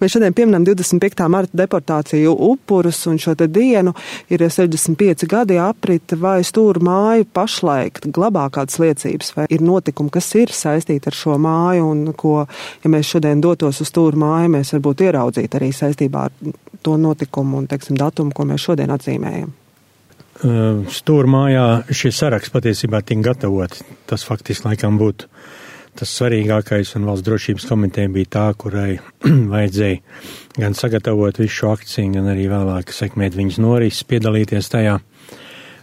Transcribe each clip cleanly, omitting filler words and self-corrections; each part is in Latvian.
Mēs šodien pieminam 25. marta deportāciju upurus, un šo te dienu ir 65 gadi aprita, vai Stūra māja pašlaik glabā kādas liecības, vai ir notikumi, kas ir saistīti ar šo māju, un ko, ja mēs šodien dotos uz Stūra māju, mēs varbūt ieraudzītu arī saistībā ar to notikumu un, teiksim, datumu, ko mēs šodien atzīmējam. Stūra mājā šie saraksts patiesībā tika gatavoti. Tas faktiski laikam būtu tas svarīgākais, un Valsts drošības komiteja bija tā, kurai vajadzēja gan sagatavot visu šo akciju, gan arī vēlāk sekmēt viņas norises, piedalīties tajā.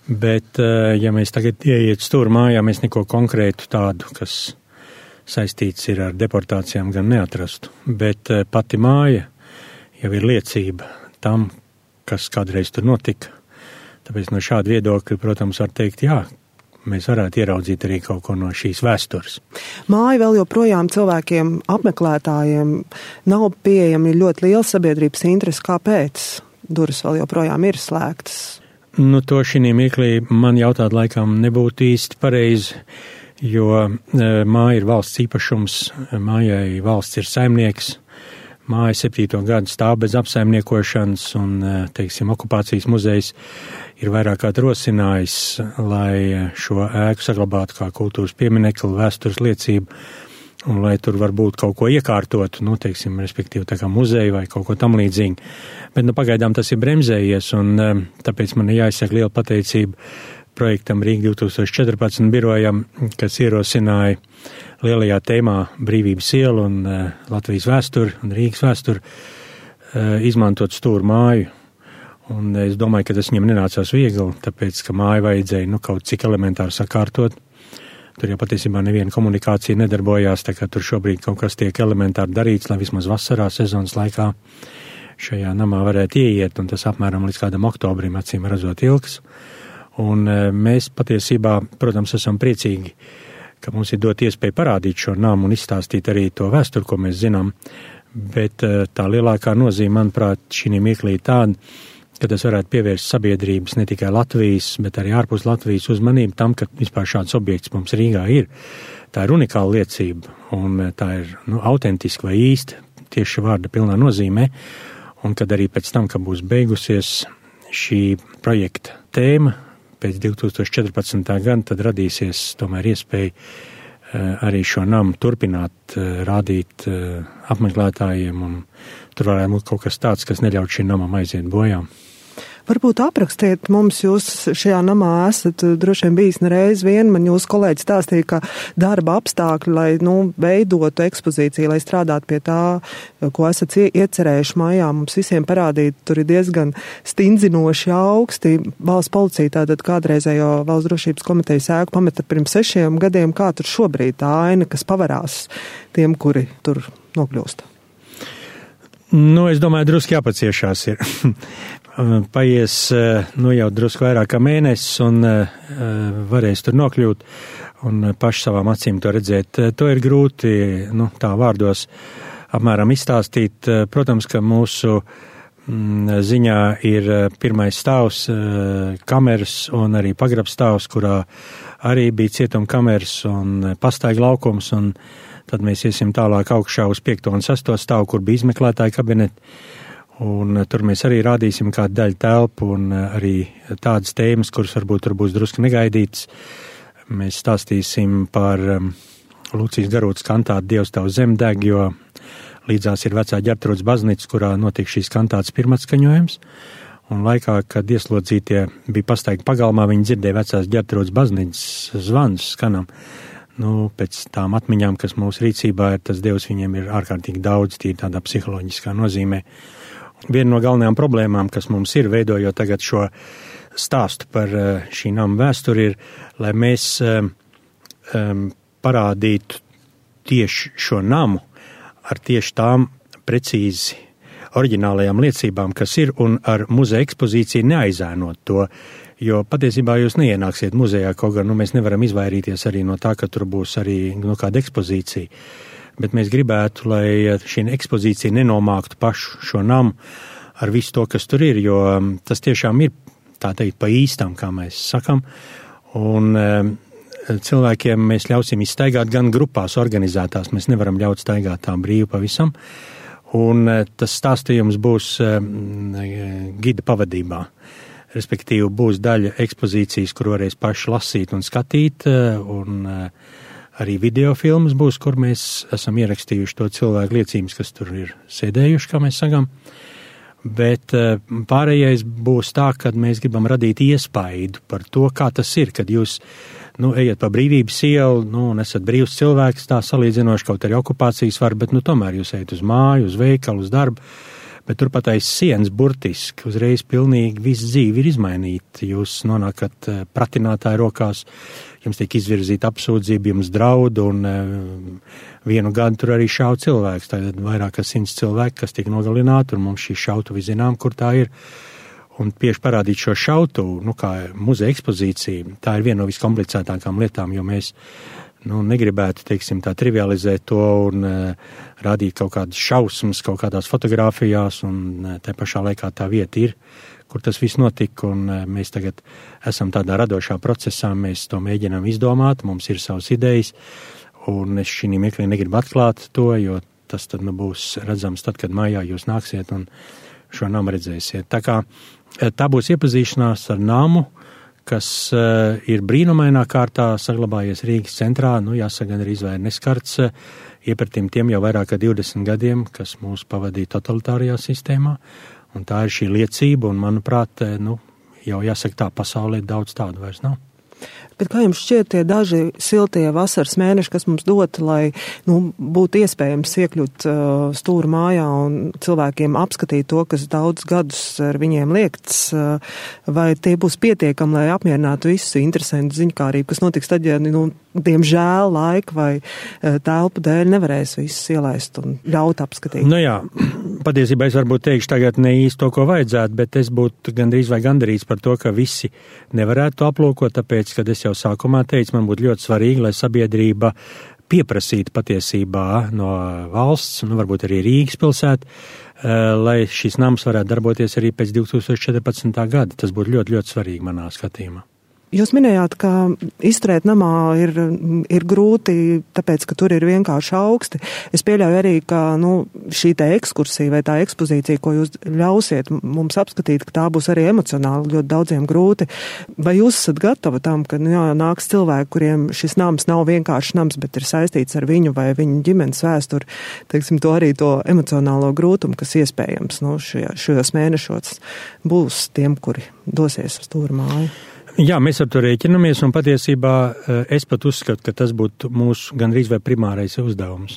Bet, ja mēs tagad ieiet Stūra mājā, mēs neko konkrētu tādu, kas saistīts ir ar deportācijām, gan neatrastu. Bet pati māja jau ir liecība tam, kas kādreiz tur notika. Tāpēc no šāda viedokļa, protams, var teikt, jā, mēs varētu ieraudzīt arī kaut ko no šīs vēstures. Māja vēl joprojām cilvēkiem, apmeklētājiem nav pieejama, ir ļoti liela sabiedrības interese. Kāpēc? Durvis vēl joprojām ir slēgtas. Nu, to šī mirklī man jautāt laikam nebūtu īsti pareizi, jo māja ir valsts īpašums, mājai valsts ir saimnieks. Māja 7. gadu stāv bez apsaimniekošanas, un, teiksim, okupācijas muzejs ir vairāk kā rosinājis, lai šo ēku saglabātu kā kultūras pieminekli, vēstures liecību, un lai tur varbūt kaut ko iekārtotu, nu, teiksim, respektīvi tā kā muzeja vai kaut ko tam līdzīgi. Bet, nu, pagaidām tas ir bremzējies, un tāpēc man jāizsaka liela pateicība projektam Rīga 2014 birojam, kas ierosināja lielajā tēmā Brīvības ielu un Latvijas vēsturi un Rīgas vēsturi izmantot Stūra māju. Un es domāju, ka tas viņam nenācās viegli, tāpēc, ka māju vajadzēja kaut cik elementāri sakārtot. Tur jau patiesībā neviena komunikācija nedarbojās, tā kā tur šobrīd kaut kas tiek elementāri darīts, lai vismaz vasarā sezonas laikā šajā namā varētu ieiet, un tas apmēram līdz kādam oktobrim acīm redzot ilgs. Un mēs patiesībā, protams, esam priecīgi, ka mums ir dot iespēju parādīt šo namu un izstāstīt arī to vēsturi, ko mēs zinām, bet tā lielākā nozīme, manuprāt, šī mirklī tāda, ka tas varētu pievērst sabiedrības ne tikai Latvijas, bet arī ārpus Latvijas uzmanību tam, ka vispār šāds objekts mums Rīgā ir. Tā ir unikāla liecība, un tā ir autentiska vai īsta, tieši vārda pilnā nozīmē, un kad arī pēc tam, kad būs beigusies šī projekta tēma, pēc 2014. gada, tad radīsies tomēr iespēja arī šo namu turpināt rādīt apmeklētājiem, un tur varētu būt kaut kas tāds, kas neļauj šim namam aiziet bojā. Varbūt aprakstiet mums, jūs šajā namā esat droši vien bijis nereiz vien, man jūs kolēģi stāstīja, ka darba apstākļi, lai, veidotu ekspozīciju, lai strādātu pie tā, ko esat iecerējuši mājā, mums visiem parādīt, tur ir diezgan stindzinoši augsti. Valsts policija tātad kādreizējo Valsts drošības komitejas ēku pameta pirms 6 gadiem, kā tur šobrīd tā aina, kas pavarās tiem, kuri tur nokļūst? Es domāju, drusku jāpaciešās ir. Paies, jau drusku vairāk kā mēnesis un varēs tur nokļūt un paši savām acīm to redzēt. To ir grūti, tā vārdos apmēram izstāstīt. Protams, ka mūsu ziņā ir pirmais stāvs, kameras un arī pagrabstāvs, kurā arī bija cietuma kameras un pastaiga laukums, un tad mēs iesim tālāk augšā uz 5. un 6. stāvu, kur bija izmeklētāja kabineti. Un tur mēs arī rādīsim kādu daļu telpu un arī tādas tēmas, kuras varbūt tur būs drusku negaidītas. Mēs stāstīsim par Lucijas Garūtas kantātu Dievs tavu zem deg, jo līdzās ir vecā Ģertrūdes baznīca, kurā notiek šīs kantātas pirmatskaņojums. Un laikā, kad ieslodzītie bija pastaigi pagalmā, viņi dzirdēja vecās Ģertrūdes baznīcas zvanus skanam. Pēc tām atmiņām, kas mūsu rīcībā ir, tas Dievs viņiem ir ārkārtīgi daudz, tīri tādā psiholoģiskā nozīmē. Viena no galvenajām problēmām, kas mums ir, veidojot tagad šo stāstu par šī nama vēsturi, ir, lai mēs parādītu tieši šo namu ar tieši tām precīzi oriģinālajām liecībām, kas ir, un ar muzeja ekspozīciju neaizēnot to, jo patiesībā jūs neienāksiet muzejā, kaut gan mēs nevaram izvairīties arī no tā, ka tur būs arī kāda ekspozīcija. Bet mēs gribētu, lai šī ekspozīcija nenomāktu pašu šo namu ar visu to, kas tur ir, jo tas tiešām ir, tā teikt, pa īstam, kā mēs sakam, un cilvēkiem mēs ļausim izstaigāt gan grupās organizētās, mēs nevaram ļaut staigāt tā brīvi pavisam, Un tas stāstījums būs gida pavadībā. Respektīvi būs daļa ekspozīcijas, kur varēs paši lasīt un skatīt, un arī video filmas būs, kur mēs esam ierakstījuši to cilvēku liecības, kas tur ir sēdējuši, kā mēs sakām. Bet pārējais būs tā, ka mēs gribam radīt iespaidu par to, kā tas ir, kad jūs ejat pa Brīvības ielu, un esat brīvs cilvēks, tā salīdzinoši kaut arī okupācijas var, bet tomēr jūs ejat uz māju, uz veikalu, uz darbu, bet turpat aiz sienas burtiski uzreiz pilnīgi viss dzīve ir izmainīta. Jūs nonākat pratinātāju rokās, jums tiek izvirzīta apsūdzība, jums draud, un vienu gadu tur arī šauj cilvēks. Tātad vairāk kā 100 cilvēki, kas tiek nogalināti, un mums šī šautuvi zinām, kur tā ir. Un tieši parādīt šo šautuvu, kā muzeja ekspozīcija, tā ir viena no viskomplicētākām lietām, jo mēs negribētu, teiksim, tā trivializēt to un rādīt kaut kādas šausmas, kaut kādās fotogrāfijās, un tā pašā laikā tā vieta ir, kur tas viss notika, un mēs tagad esam tādā radošā procesā, mēs to mēģinām izdomāt, mums ir savas idejas, un es šī mirklī negribu atklāt to, jo tas tad būs redzams tad, kad mājā jūs nāksiet un šo namu redzēsiet. Tā kā tā būs iepazīšanās ar namu, kas ir brīnumainā kārtā saglabājies Rīgas centrā, jāsaka, gan arī izvēr neskarts iepratim tiem jau vairāk kā 20 gadiem, kas mūs pavadīja totalitārajā sistēmā, un tā ir šī liecība, un manuprāt, jau jāsaka tā, pasaulē daudz tādu vairs nav. Bet kā jums šķiet tie daži siltie vasaras mēneši, kas mums dot, lai būtu iespējams iekļūt stūra mājā un cilvēkiem apskatīt to, kas daudz gadus ar viņiem liekts, vai tie būs pietiekami, lai apmierinātu visu interesantu ziņkārību, kas notiks tad, ja, diemžēl laika vai telpu dēļ nevarēs visus ielaist un ļaut apskatīt? Jā, patiesībā es varbūt teikšu tagad ne īsti to, ko vajadzētu, bet es būtu gandrīz vai gandarīts par to, ka visi nevarētu to aplūkot, tāpēc, kad es jau sākumā teicu, man būtu ļoti svarīgi, lai sabiedrība pieprasītu patiesībā no valsts, varbūt arī Rīgas pilsēta, lai šis nams varētu darboties arī pēc 2014. gada. Tas būtu ļoti, ļoti svarīgi manā skatījumā. Jūs minējāt, ka izturēt namā ir grūti, tāpēc, ka tur ir vienkārši augsti. Es pieļauju arī, ka šī te ekskursija vai tā ekspozīcija, ko jūs ļausiet mums apskatīt, ka tā būs arī emocionāli ļoti daudziem grūti. Vai jūs esat gatavi tam, ka nāks cilvēki, kuriem šis nams nav vienkārši nams, bet ir saistīts ar viņu vai viņu ģimenes vēsturi, teiksim, to arī to emocionālo grūtumu, kas iespējams šajos mēnešos būs tiem, kuri dosies uz stūra māju? Jā, mēs ar to rēķinamies, un patiesībā es pat uzskatu, ka tas būtu mūsu gandrīz vai primārais uzdevums.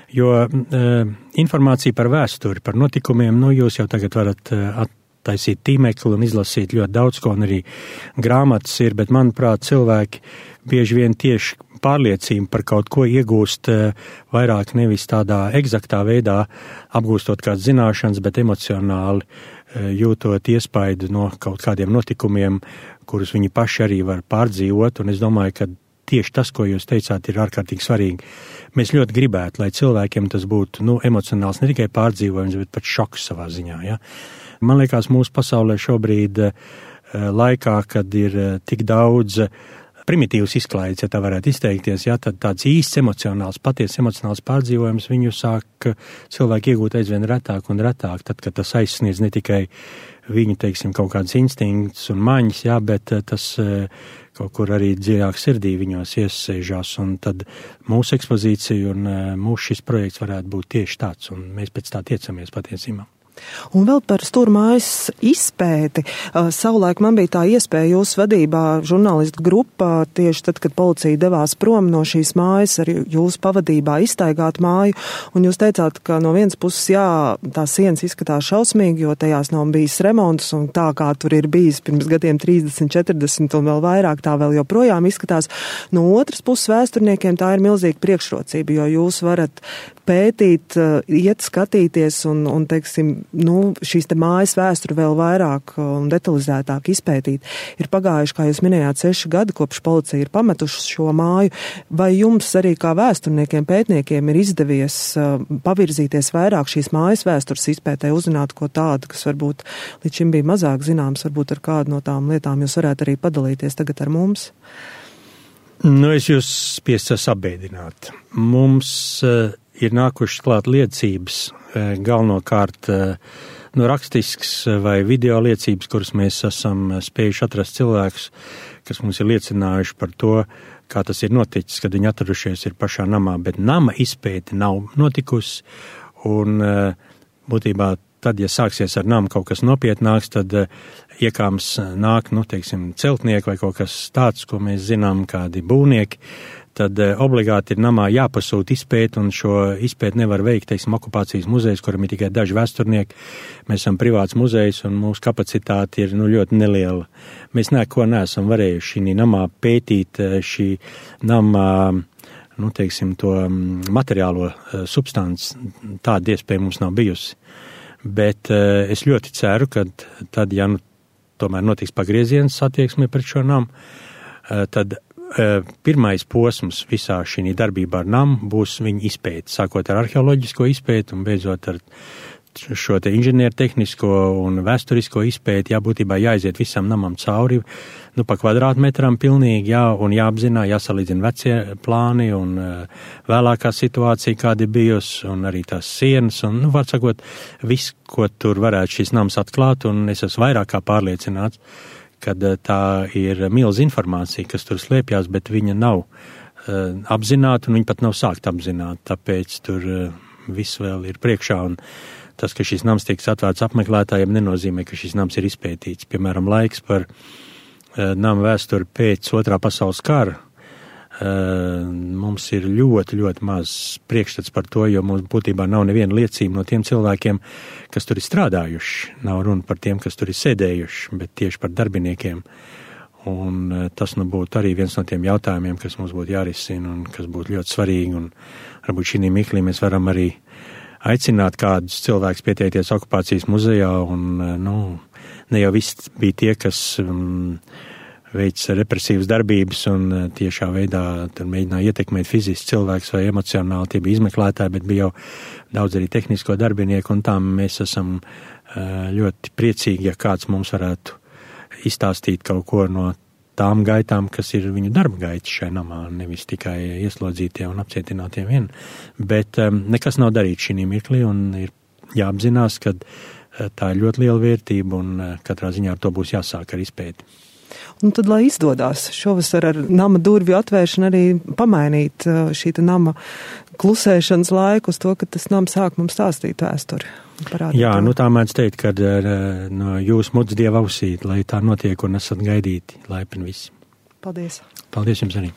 Jo informācija par vēsturi, par notikumiem, jūs jau tagad varat attaisīt tīmekli un izlasīt ļoti daudz, ko un arī grāmatas ir, bet, manuprāt, cilvēki bieži vien tieši pārliecību par kaut ko iegūst vairāk nevis tādā egzaktā veidā, apgūstot kādas zināšanas, bet emocionāli jūtot iespaidu no kaut kādiem notikumiem, kurus viņi paši arī var pārdzīvot, un es domāju, ka tieši tas, ko jūs teicāt, ir ārkārtīgi svarīgi. Mēs ļoti gribētu, lai cilvēkiem tas būtu emocionāls ne tikai pārdzīvojums, bet pat šoks savā ziņā. Ja? Man liekas, mūsu pasaulē šobrīd laikā, kad ir tik daudz primitīvs izklaides, ja tā varētu izteikties, ja, tad tāds īsts emocionāls, patiesi emocionāls pārdzīvojums viņu sāk cilvēki iegūt aizvien retāk un retāk, tad, kad tas aizsniedz ne tikai viņu, teiksim, kaut kādas instinkts un maņas, ja, bet tas kaut kur arī dziļāk sirdī viņos iesēžās, un tad mūsu ekspozīcija un mūsu šis projekts varētu būt tieši tāds, un mēs pēc tā tiecamies patiesībā. Un vēl par stūrmājas izpēti. Savulaik man bija tā iespēja jūsu vadībā žurnālistu grupā, tieši tad, kad policija devās prom no šīs mājas, ar jūsu pavadībā izstaigāt māju, un jūs teicāt, ka no vienas puses, jā, tās sienas izskatās šausmīgi, jo tajās nav bijis remonts, un tā kā tur ir bijis pirms gadiem 30, 40 un vēl vairāk, tā vēl joprojām izskatās. No otras puses vēsturniekiem tā ir milzīga priekšrocība, jo jūs varat pētīt, iet skatīties un teiksim, šīs te mājas vēsturi vēl vairāk un detalizētāk izpētīt. Ir pagājuši, kā jūs minējāt, 6 gadi, kopš policija ir pametuši šo māju. Vai jums arī kā vēsturniekiem, pētniekiem ir izdevies pavirzīties vairāk šīs mājas vēstures izpētē, uzzināt ko tādu, kas varbūt līdz šim bija mazāk zināms, varbūt ar kādu no tām lietām jūs varētu arī padalīties tagad ar mums? Es jūs spiestu sabēdināt. Mums ir nākušas klāt liecības, galvenokārt rakstisks vai video liecības, kuras mēs esam spējuši atrast cilvēkus, kas mums ir liecinājuši par to, kā tas ir noticis, kad viņi atradušies ir pašā namā, bet nama izpēte nav notikusi, un būtībā tad, ja sāksies ar namu kaut kas nopietnāks, tad iekāms nāk, celtnieki vai kaut kas tāds, ko mēs zinām, kādi būvnieki, tad obligāti ir namā jāpasūta izpēt, un šo izpēt nevar veikt, okupācijas muzejs, kuram ir tikai daži vēsturnieki. Mēs esam privāts muzejs, un mūsu kapacitāte ir ļoti neliela. Mēs neko neesam varējuši šī namā pētīt, šī namā, to materiālo substanci, tāda iespēja mums nav bijusi. Bet es ļoti ceru, ka tad, ja tomēr notiks pagrieziens attieksmē pret šo namu, tad pirmais posms visā šī darbībā ar namu būs viņa izpēte, sākot ar arheoloģisko izpēti un beidzot ar šo te inženiertehnisko un vēsturisko izpēti, būtībā jāiziet visam namam cauri, pa kvadrātmetram pilnīgi, un jāapzinā, jāsalīdzina vecie plāni un vēlākā situācija, kāda ir bijusi, un arī tās sienas, un, var sakot, viss, ko tur varētu šis nams atklāt, un es esmu vairāk kā pārliecināts, kad tā ir milz informācija, kas tur slēpjās, bet viņa nav apzināta, un viņa pat nav sākt apzināt, tāpēc tur viss vēl ir priekšā, un tas, ka šis nams tiks atvērts apmeklētājiem, nenozīmē, ka šis nams ir izpētīts. Piemēram, laiks par nama vēsturi pēc Otrā pasaules kara. Mums ir ļoti, ļoti maz priekšstats par to, jo mums būtībā nav neviena liecība no tiem cilvēkiem, kas tur ir strādājuši. Nav runa par tiem, kas tur ir sēdējuši, bet tieši par darbiniekiem. Un tas būtu arī viens no tiem jautājumiem, kas mums būtu jārisina un kas būtu ļoti svarīgi. Un varbūt šī mirklī mēs varam arī aicināt kādus cilvēkus pieteikties okupācijas muzejā, un ne jau viss bija tie, kas veic represīvas darbības un tiešā veidā tur mēģināja ietekmēt fiziski cilvēks vai emocionāli, tie bija izmeklētāji, bet bija jau daudz arī tehnisko darbinieku, un tām mēs esam ļoti priecīgi, ja kāds mums varētu izstāstīt kaut ko no tām gaitām, kas ir viņu darba gaitas šai namā, nevis tikai ieslodzītie un apcietinātie vien. Bet nekas nav darīts šī mirklī, un ir jāapzinās, ka tā ir ļoti liela vērtība, un katrā ziņā ar to būs jāsāk ar izpēti. Un tad, lai izdodās šovasar ar nama durvju atvēršanu arī pamainīt šī nama klusēšanas laiku uz to, ka tas nams sāk mums stāstīt vēsturi. Jā, tā mēdz teikt, ka no jūs mudz Dieva ausīt, lai tā notiek un esat gaidīti laipni visi. Paldies. Paldies jums arī.